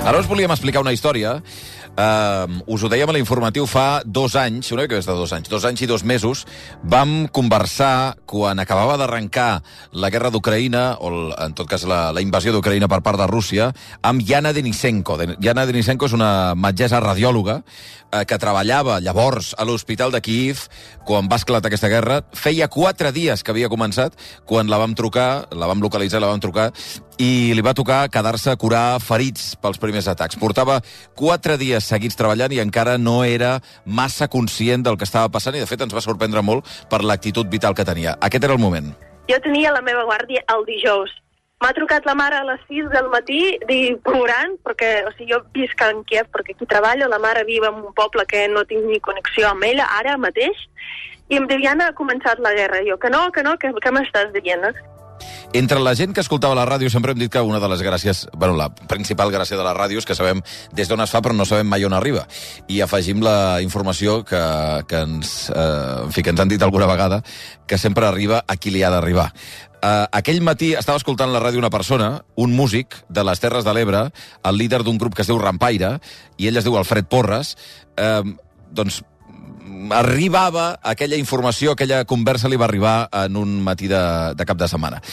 Ara us volíem explicar una història. Us ho dèiem a l'informatiu fa 2 anys, una mica més de 2 anys, 2 anys i 2 mesos, vam conversar quan acabava d'arrencar la guerra d'Ucraïna, o en tot cas la invasió d'Ucraïna per part de Rússia, amb Yana Denisenko. Yana Denisenko és una metgessa radiòloga que treballava llavors a l'hospital de Kyiv quan va esclatar aquesta guerra. Feia 4 dies que havia començat quan la vam trucar, la vam localitzar, la vam trucar, i li va tocar quedar-se a curar ferits pels primers atacs. Portava 4 dies seguits treballant i encara no era massa conscient del que estava passant i, de fet, ens va sorprendre molt per l'actitud vital que tenia. Aquest era el moment. Jo tenia la meva guàrdia el dijous. M'ha trucat la mare a les 6 del matí plorant, perquè jo visc en Kiev, perquè aquí treballo, la mare viu en un poble que no tinc ni connexió amb ella, ara mateix, i em diu, Yana, ha començat la guerra. Jo, que no, què m'estàs dient? Entre la gent que escoltava la ràdio sempre hem dit que una de les gràcies, la principal gràcia de la ràdio és que sabem des d'on es fa però no sabem mai on arriba. I afegim la informació que ens han dit alguna vegada, que sempre arriba a qui li ha d'arribar. Aquell matí estava escoltant la ràdio una persona, un músic de les Terres de l'Ebre, el líder d'un grup que es diu Rampaire, i ell es diu Alfred Porras. Arribava aquella informació, aquella conversa li va arribar en un matí de cap de setmana.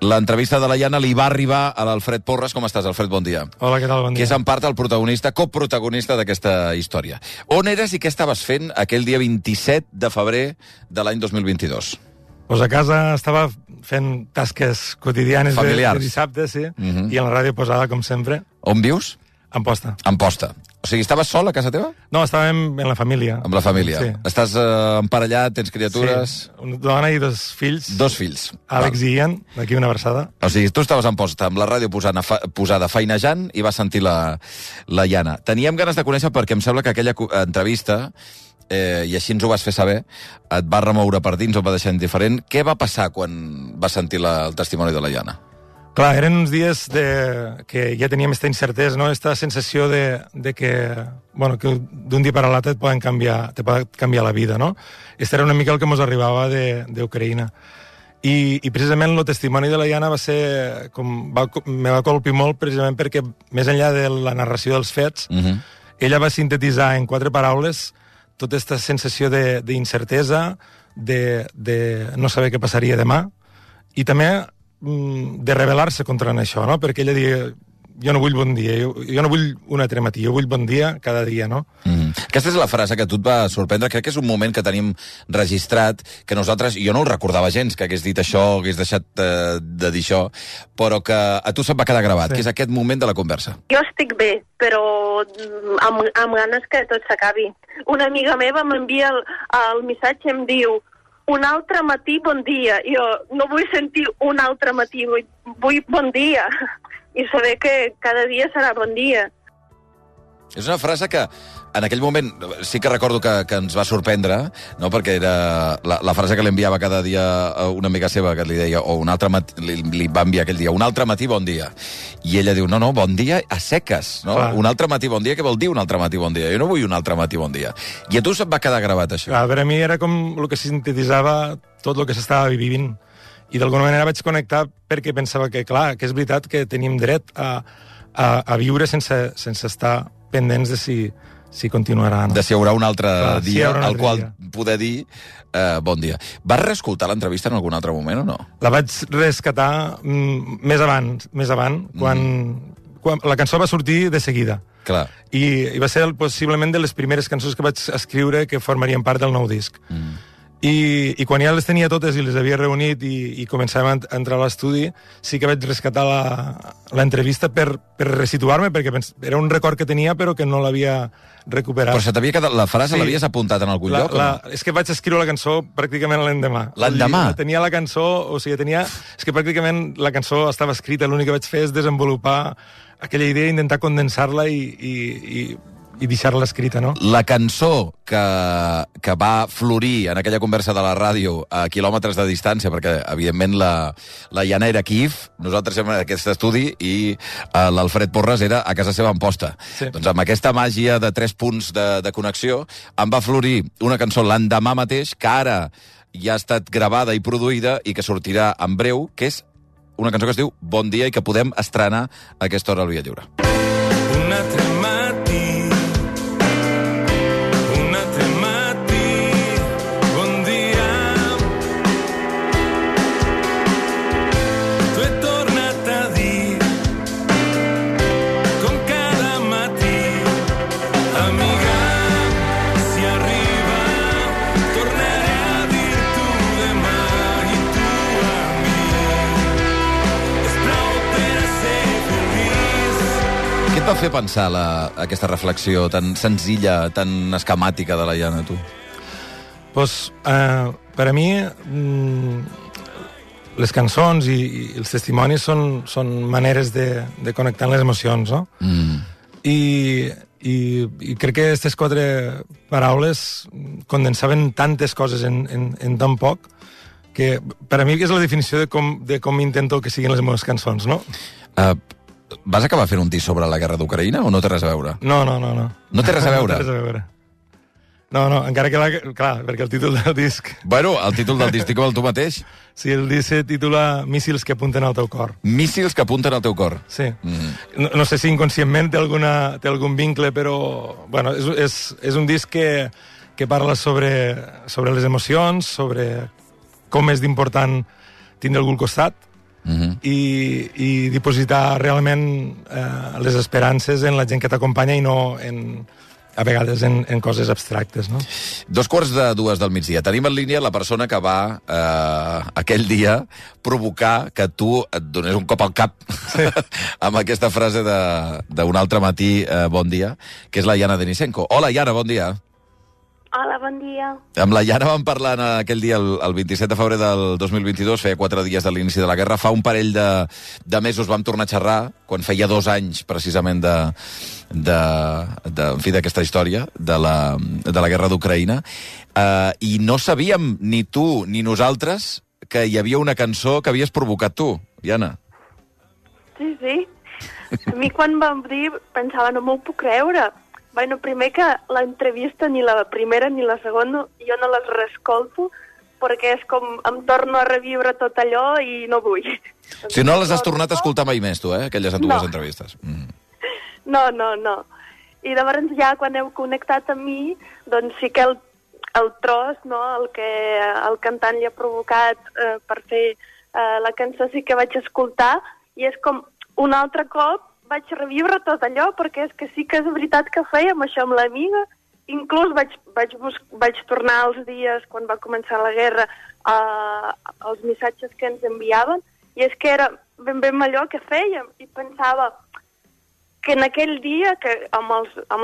L'entrevista de la Yana li va arribar a l'Alfred Porras. Com estàs, Alfred? Bon dia. Hola, què tal? Bon dia. Que és en part el protagonista, coprotagonista d'aquesta història. On eres i què estaves fent aquell dia 27 de febrer de l'any 2022? Pues a casa estava fent tasques quotidianes de dissabte, sí, i en la ràdio posada, com sempre. On vius? A Amposta. A Amposta. O sigui, estaves sol a casa teva? No, estàvem en la família. Amb la família. Sí. Estàs emparellat, tens criatures... Sí, una dona i 2 fills. 2 fills. Àlex i Ian, d'aquí una versada. O sigui, tu estaves a Amposta amb la ràdio posada feinejant i vas sentir la Yana. Teníem ganes de conèixer perquè em sembla que aquella entrevista, i així ens ho vas fer saber, et va remoure per dins, et va deixar indiferent. Què va passar quan vas sentir el testimoni de la Yana? Clar, eren uns dies que ja teníem aquesta incertesa, no? Aquesta sensació de que d'un dia per a l'altre te pot canviar la vida, no? Este era una mica el que ens arribava d'Ucraïna. I precisament el testimoni de la Yana va ser... me va colpir molt precisament perquè, més enllà de la narració dels fets, ella va sintetitzar en 4 paraules tota aquesta sensació d'incertesa, de no saber què passaria demà, i també de rebel·lar-se contra això, no? Perquè ella deia, jo no vull bon dia, jo no vull un altre matí, jo vull bon dia cada dia, no? Aquesta és la frase que a tu et va sorprendre. Crec que és un moment que tenim registrat, que nosaltres, jo no el recordava gens, que hagués dit això, hagués deixat de dir això, però que a tu se't va quedar gravat, que és aquest moment de la conversa. Jo estic bé, però amb ganes que tot s'acabi. Una amiga meva m'envia el missatge i em diu, un altre matí, bon dia. Jo no vull sentir un altre matí, vull bon dia. I saber que cada dia serà bon dia. És una frase que en aquell moment sí que recordo que ens va sorprendre, no? Perquè era la frase que li enviava cada dia a una amiga seva, que li deia, o un altre matí, li va enviar aquell dia, un altre matí, bon dia. I ella diu, no, bon dia a seques, no? Clar. Un altre matí, bon dia, què vol dir un altre matí, bon dia? Jo no vull un altre matí, bon dia. I a tu se't va quedar gravat, això? Clar, per a mi era com el que sintetitzava tot el que s'estava vivint. I d'alguna manera vaig connectar perquè pensava que, clar, que és veritat que tenim dret a viure sense estar pendents de si continuarà. No? De si hi haurà un altre dia al qual poder dir bon dia. Vas reescoltar l'entrevista en algun altre moment o no? La vaig rescatar més avant, quan la cançó va sortir de seguida. Clar. I va ser possiblement de les primeres cançons que vaig escriure que formarien part del nou disc. I quan ja les tenia totes i les havia reunit i començàvem a entrar a l'estudi, sí que vaig rescatar l'entrevista per resituar-me, perquè era un record que tenia però que no l'havia recuperat. Però se t'havia quedat, la frase l'havies apuntat en algun lloc? És que vaig escriure la cançó pràcticament l'endemà. L'endemà? Tenia la cançó, és que pràcticament la cançó estava escrita, l'únic que vaig fer és desenvolupar aquella idea, intentar condensar-la i deixar-la escrita, no? La cançó que va florir en aquella conversa de la ràdio a quilòmetres de distància, perquè, evidentment, la Yana era a Kyiv, nosaltres érem en aquest estudi, i l'Alfred Porras era a casa seva a Amposta. Sí. Doncs amb aquesta màgia de 3 punts de connexió, em va florir una cançó l'endemà mateix, que ara ja ha estat gravada i produïda i que sortirà en breu, que és una cançó que es diu Bon dia i que podem estrenar a aquesta hora al Via Lliure. altre matí, un altre matí, bon dia. Tu he tornat a dir, com cada matí, amiga, si arriba, tornaré a dir tu demà i tu a mi. És prou per a ser feliç. Què et va fer pensar aquesta reflexió tan senzilla, tan esquemàtica de la Iana, tu? Pues, per a mi, les cançons i els testimonis són maneres de connectar amb les emocions, no? I crec que aquestes 4 paraules condensaven tantes coses en tan poc que per a mi és la definició de com intento que siguin les meves cançons, no? Vas acabar fent un disc sobre la guerra d'Ucraïna o no té res a veure? No. No té res a veure? No té res a veure. No, encara que clar, perquè el títol del disc... Bueno, el títol del disc dic el tu mateix. Sí, el disc se titula Míssils que apunten al teu cor. Míssils que apunten al teu cor. Sí. No sé si inconscientment té algun vincle, però bueno, és un disc que parla sobre les emocions, sobre com és d'important tindre algú al costat i dipositar realment les esperances en la gent que t'acompanya i no a vegades en coses abstractes, no? 2:45 del migdia. Tenim en línia la persona que va aquell dia provocar que tu et donés un cop al cap amb aquesta frase d'un altre matí, bon dia, que és la Iana Denisenko. Hola, Iana, bon dia. Hola, bon dia. Amb la Iana vam parlar aquell dia, el 27 de febrer del 2022, feia 4 dies de l'inici de la guerra. Fa un parell de mesos vam tornar a xerrar, quan feia 2 anys, precisament, en fi, d'aquesta història, de la guerra d'Ucraïna. I no sabíem, ni tu ni nosaltres, que hi havia una cançó que havies provocat tu, Iana. Sí. A mi quan vam dir pensava, no m'ho puc creure. Bueno, primer que l'entrevista, ni la primera ni la segona, jo no les reescolto, perquè és com em torno a reviure tot allò i no vull. Si no les has tornat a escoltar mai més, tu, aquelles dues entrevistes. No. I llavors ja quan heu connectat amb mi, doncs sí que el tros, no, el que el cantant li ha provocat per fer la cançó sí que vaig escoltar, i és com un altre cop vaig reviure tot allò, perquè és que sí que és veritat que fèiem això amb l'amiga. Inclús vaig tornar als dies, quan va començar la guerra, als missatges que ens enviaven, i és que era ben allò que fèiem, i pensava que en aquell dia, que amb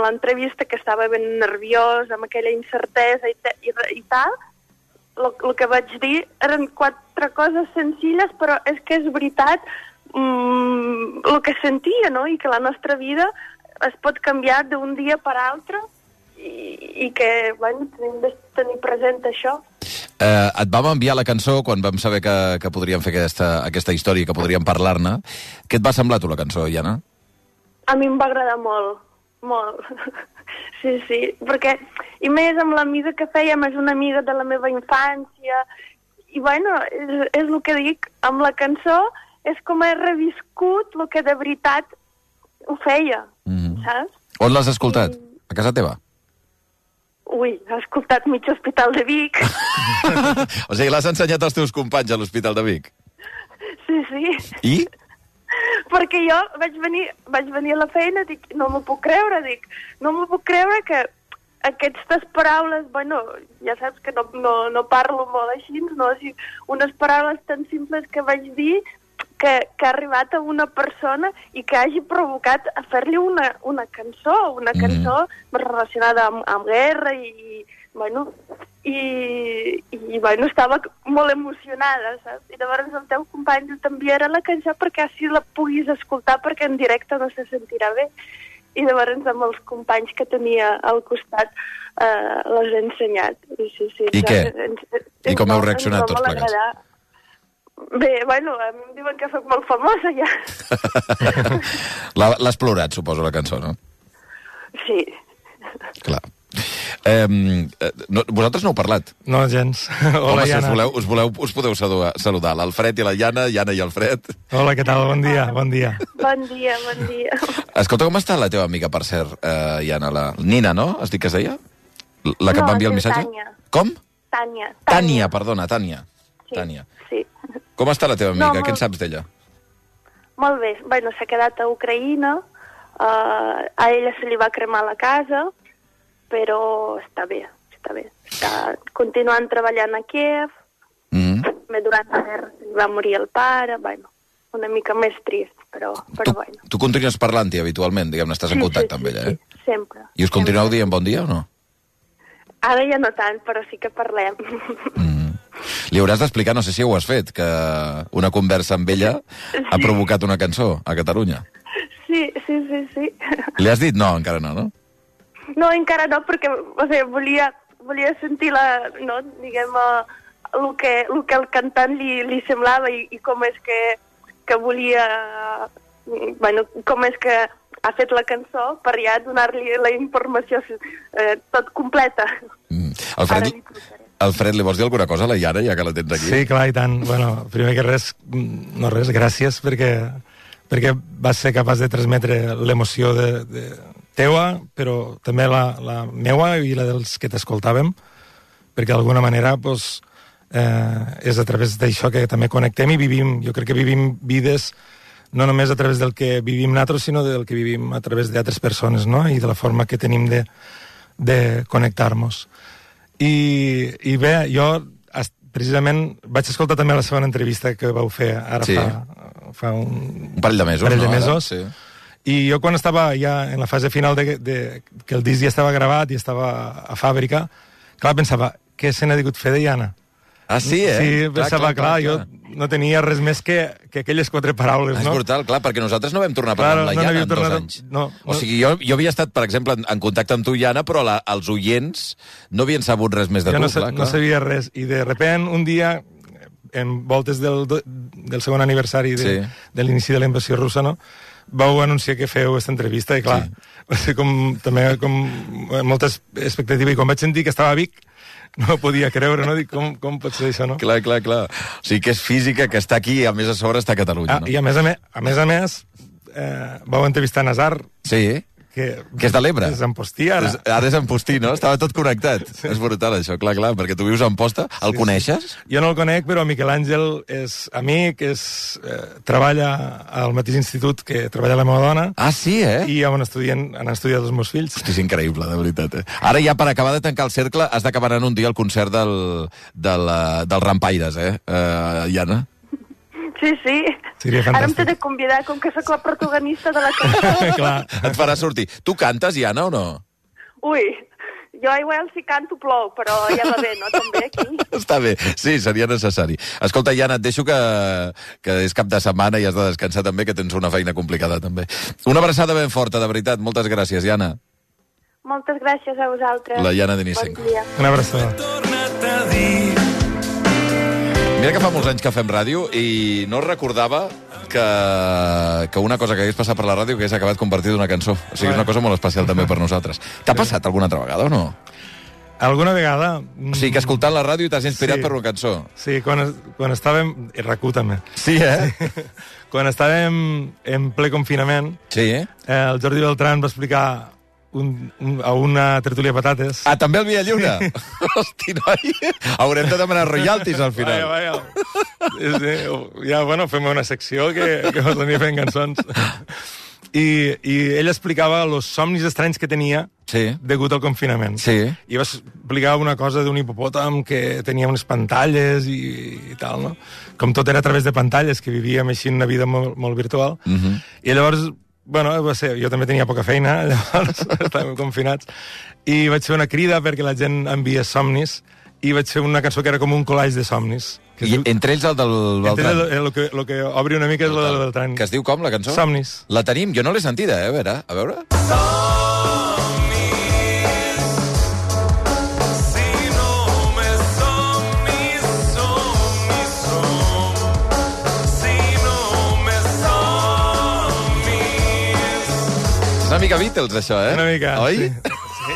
l'entrevista, que estava ben nerviós, amb aquella incertesa i tal, el que vaig dir eren 4 coses senzilles, però és que és veritat el que sentia, no? I que la nostra vida es pot canviar d'un dia per altre i que, bueno, tenim de tenir present això. Et vam enviar la cançó quan vam saber que podríem fer aquesta història, que podríem parlar-ne. Què et va semblar, tu, la cançó, Iana? A mi em va agradar molt. Sí, perquè, i més amb l'amiga que fèiem, és una amiga de la meva infància, i bueno, és el que dic, amb la cançó és com he reviscut el que de veritat ho feia, saps? On l'has escoltat? A casa teva? Ui, he escoltat mig Hospital de Vic. O sigui, l'has ensenyat als teus companys a l'Hospital de Vic? Sí. I? Perquè jo vaig venir a la feina, dic, no m'ho puc creure que aquestes paraules, bueno, ja saps que no parlo molt així, no? O sigui, unes paraules tan simples que vaig dir que ha arribat a una persona i que hagi provocat a fer-li una cançó relacionada amb guerra i estava molt emocionada, saps? I llavors el teu company t'enviarà la cançó perquè així la puguis escoltar, perquè en directe no se sentirà bé. I llavors amb els companys que tenia al costat les he ensenyat. Sí. I què? I com heu reaccionat tots plegats? Bé, bueno, em diuen que soc molt famosa ja. L'has plorat, suposo, la cançó, no? Sí. Clar. Vosaltres no heu parlat. No, gens. Hola, Home, si Iana. us podeu saludar. L'Alfred i la Iana i Alfred. Hola, què tal? Bon dia, bon dia. Bon dia, bon dia. Escolta, com està la teva amiga, per cert, Iana? La Nina, no? Has dit que es deia? La que No, et va enviar el es diu missatge? Tània. Com? Tània. Tània, perdona, Tània. Sí, Tània. sí. Com està la teva amiga? No, Què en saps d'ella? Molt bé. Bueno, s'ha quedat a Ucraïna. A ella se li va cremar la casa, però està bé, està bé. Està continuant treballant a Kiev. També durant la guerra se li va morir el pare. Bueno, una mica més trist, però bueno. Tu continues parlant-hi habitualment, diguem-ne, estàs en contacte amb ella, eh? Sí, sempre. I us continueu dient bon dia o no? Ara ja no tant, però sí que parlem. Li hauràs d'explicar, no sé si ho has fet, que una conversa amb ella ha provocat una cançó a Catalunya. Sí. Li has dit? No, encara no, no? No, encara no, perquè volia sentir diguem, el que el cantant li semblava i com és que volia... Bueno, com és que ha fet la cançó per ja donar-li la informació tot completa. Alfred, li vols dir alguna cosa a la Iana, ja que la tens aquí? Sí, clar, i tant. Bueno, primer que res, no res, gràcies perquè vas ser capaç de transmetre l'emoció teua, però també la meua i la dels que t'escoltàvem, perquè d'alguna manera doncs, és a través d'això que també connectem i vivim. Jo crec que vivim vides no només a través del que vivim nosaltres, sinó del que vivim a través d'altres persones, no? I de la forma que tenim de connectar-nos. I bé, jo precisament vaig escoltar també la segona entrevista que vau fer ara fa un parell de mesos. Sí. I jo quan estava ja en la fase final que el disc ja estava gravat i estava a fàbrica, clar, pensava, què se n'ha digut fer de Iana? Ah, sí, eh? Sí, pensava, clar, jo no tenia res més que aquelles 4 paraules, no? És brutal, clar, perquè nosaltres no vam tornar a parlar amb la Iana en 2 anys. No. O sigui, jo havia estat, per exemple, en contacte amb tu, Iana, però els oients no havien sabut res més de tu, clar. No sabia res, i de repent, un dia, en voltes del segon aniversari de l'inici de la invasió russa, no?, vau anunciar que feu aquesta entrevista, i clar, va ser també com molta expectativa, i quan vaig sentir que estava a Vic, no podia creure, no? Dic, com pot ser això, no? Clar. O sigui que és física, que està aquí i a més a sobre està a Catalunya, no? I a més, vau entrevistar Nazar. Sí, que és de l'Ebre. És Ampostí, ara. Ara és Ampostí, no? Estava tot connectat. Sí. És brutal, això, clar, perquè tu vius a Amposta. El coneixes? Sí. Jo no el conec, però Miquel Àngel és amic, treballa al mateix institut que treballa la meva dona. Ah, sí, eh? I han estudiat els meus fills. Hosti, és increïble, de veritat, eh? Ara ja, per acabar de tancar el cercle, has d'acabar anant un dia al concert del Rampaires, Iana? Sí. Seria fantàstic. Ara em t'he de convidar, com que sóc la protagonista de la cançó. Clar. Et farà sortir. Tu cantes, Iana, o no? Ui, jo igual si canto plou, però ja va bé, no? També aquí. Està bé, sí, seria necessari. Escolta, Iana, et deixo que és cap de setmana i has de descansar també, que tens una feina complicada també. Una abraçada ben forta, de veritat. Moltes gràcies, Iana. Moltes gràcies a vosaltres. La Iana Denisenko. Bon dia. Una abraçada. Torna't a dir. Mira que fa molts anys que fem ràdio i no recordava que una cosa que hagués passat per la ràdio que hagués acabat convertida en una cançó. O sigui, és una cosa molt especial també per nosaltres. T'ha passat alguna altra vegada o no? Alguna vegada... O sigui, que escoltant la ràdio t'has inspirat per una cançó. Sí, quan estàvem... I RAC1 també. Sí, eh? Quan estàvem en ple confinament, el Jordi Beltrán va explicar a una tertúlia patates. Ah, també el Via Lliure? Hosti, noi, haurem de demanar royalties al final. Vaja. Sí, ja, bueno, fem una secció que mos aniria fent cançons. I ell explicava els somnis estranys que tenia degut al confinament. Sí. I va explicar una cosa d'un hipopòtam que tenia unes pantalles i tal, no? Com tot era a través de pantalles, que vivíem així una vida molt, molt virtual. I llavors... Bueno, va ser, jo també tenia poca feina, llavors estàvem confinats, i vaig fer una crida perquè la gent envia somnis, i vaig fer una cançó que era com un collage de somnis. I entre ells el del Beltrán. El que obri una mica és el del Beltrán. Que es diu com, la cançó? Somnis. La tenim, jo no l'he sentida, a veure. Una mica Beatles, això, eh? Una mica, oi? Sí.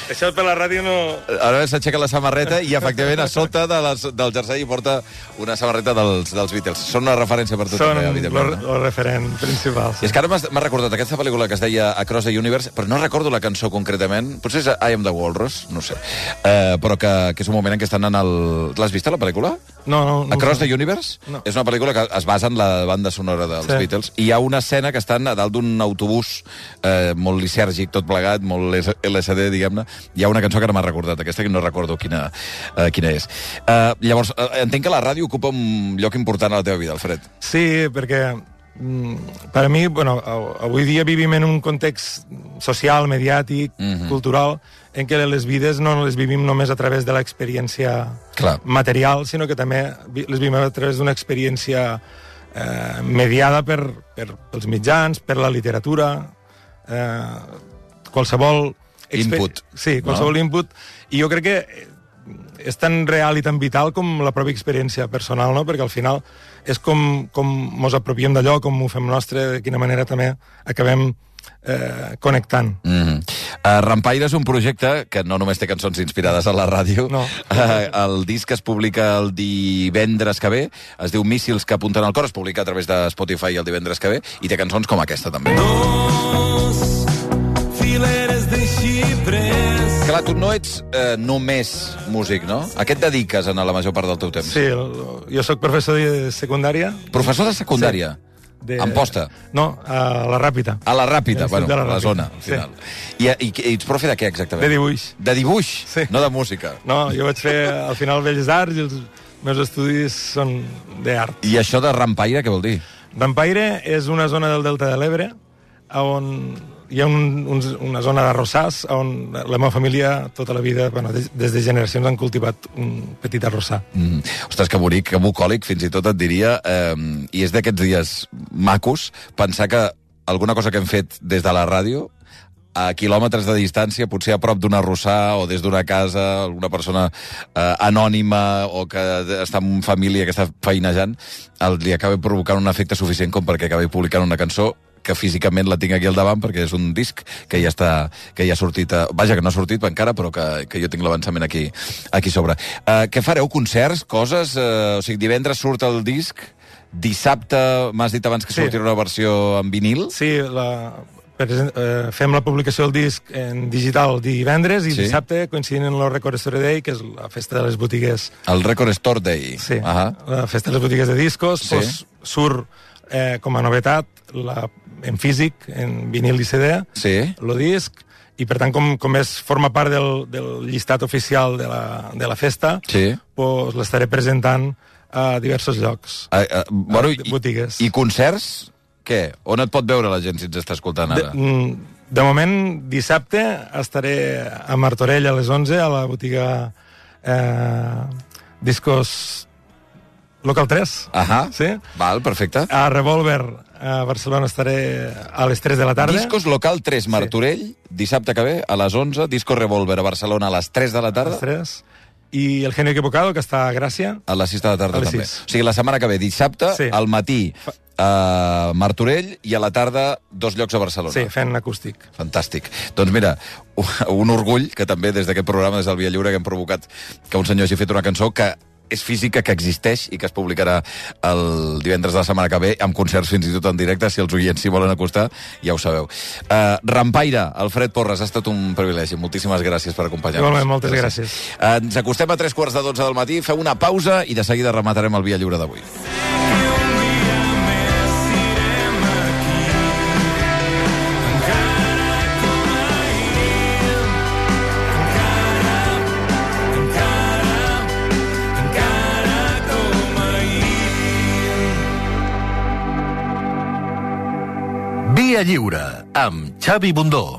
Això per la ràdio no... Ara s'aixeca la samarreta i, efectivament, a sota del jersei porta una samarreta dels Beatles. Són una referència per tot. Són el referent principal. I és que ara m'ha recordat aquesta pel·lícula que es deia Across the Universe, però no recordo la cançó concretament. Potser és I Am the Walrus, no sé. Però que és un moment en què estan en el... L'has vist, la pel·lícula? No. Across the Universe? No. És una pel·lícula que es basa en la banda sonora dels Beatles. I hi ha una escena que estan a dalt d'un autobús molt lisèrgic, tot plegat, molt LSD, diguem-ne. Hi ha una cançó que no m'ha recordat, aquesta que no recordo quina és. Llavors, entenc que la ràdio ocupa un lloc important a la teva vida, Alfred. Sí, perquè per a mi, bueno, avui dia vivim en un context social, mediàtic, cultural, en què les vides no les vivim només a través de l'experiència material, sinó que també les vivim a través d'una experiència mediada pels mitjans, per la literatura, qualsevol... Input. Sí, qualsevol input. I jo crec que és tan real i tan vital com la pròpia experiència personal, no? Perquè al final és com mos apropiem d'allò, com ho fem nostre, de quina manera també acabem connectant. Rampaire és un projecte que no només té cançons inspirades a la ràdio. No. El disc es publica el divendres que ve, es diu Míssils que apunten al cor, es publica a través de Spotify el divendres que ve, i té cançons com aquesta, també. Dos fileres de xipres. Clar, tu no ets només músic, no? A què et dediques en la major part del teu temps? Sí, jo sóc professor de secundària. Professor de secundària? Sí. Amposta? No, a la Ràpita. A la Ràpita, bueno, a la zona, al sí. final. I ets profe de què, exactament? De dibuix. De dibuix? Sí. No de música? No, jo vaig fer, al final, Belles Arts i els meus estudis són d'art. I això de Rampaire, què vol dir? Rampaire és una zona del Delta de l'Ebre on hi ha una zona d'arrossars on la meva família tota la vida, bueno, des de generacions han cultivat un petit arrossar. Ostres, que bonic, que bucòlic, fins i tot et diria, i és d'aquests dies macos pensar que alguna cosa que hem fet des de la ràdio a quilòmetres de distància, potser a prop d'un arrossar o des d'una casa, alguna persona anònima o que està en família que està feinejant, li acaba provocant un efecte suficient com perquè acabi publicant una cançó que físicament la tinc aquí al davant perquè és un disc que ja ha sortit, vaja, que no ha sortit encara, però que jo tinc l'avançament aquí sobre. Què fareu? Concerts? Coses? O sigui, divendres surt el disc, dissabte m'has dit abans que sortirà una versió en vinil? Sí, fem la publicació del disc en digital divendres i dissabte coincidint en el Record Store Day, que és la festa de les botigues. El Record Store Day. Sí, la festa de les botigues de discos. Pues, surt com a novetat en físic, en vinil i CD, el disc, i per tant, com forma part del llistat oficial de la festa, pues, l'estaré presentant a diversos llocs, botigues. I concerts? Què? On et pot veure la gent si ens està escoltant ara? De moment, dissabte, estaré a Martorell a les 11, a la botiga Discos Local 3. Sí? Val, perfecte. A Revolver, a Barcelona, estaré a les 3 de la tarda. Discos Local 3, Martorell, dissabte que ve, a les 11. Disco Revolver a Barcelona a les 3 de la tarda. A les 3. I el Genio Equivocado, que està a Gràcia. A les 6 de la tarda també. O sigui, la setmana que ve, dissabte, al matí a Martorell i a la tarda 2 llocs a Barcelona. Sí, fent acústic. Fantàstic. Doncs mira, un orgull que també des d'aquest programa, des del Via Lliure, que hem provocat que un senyor hagi fet una cançó que és física, que existeix i que es publicarà el divendres de la setmana que ve, amb concerts fins i tot en directe, si els oients s'hi volen acostar, ja ho sabeu. Rampaire, Alfred Porres, ha estat un privilegi. Moltíssimes gràcies per acompanyar-nos. Igualment, moltes gràcies. Ens acostem a 3:45 del matí, feu una pausa i de seguida rematarem el Via Lliure d'avui. Via Lliure, amb Xavi Bundó.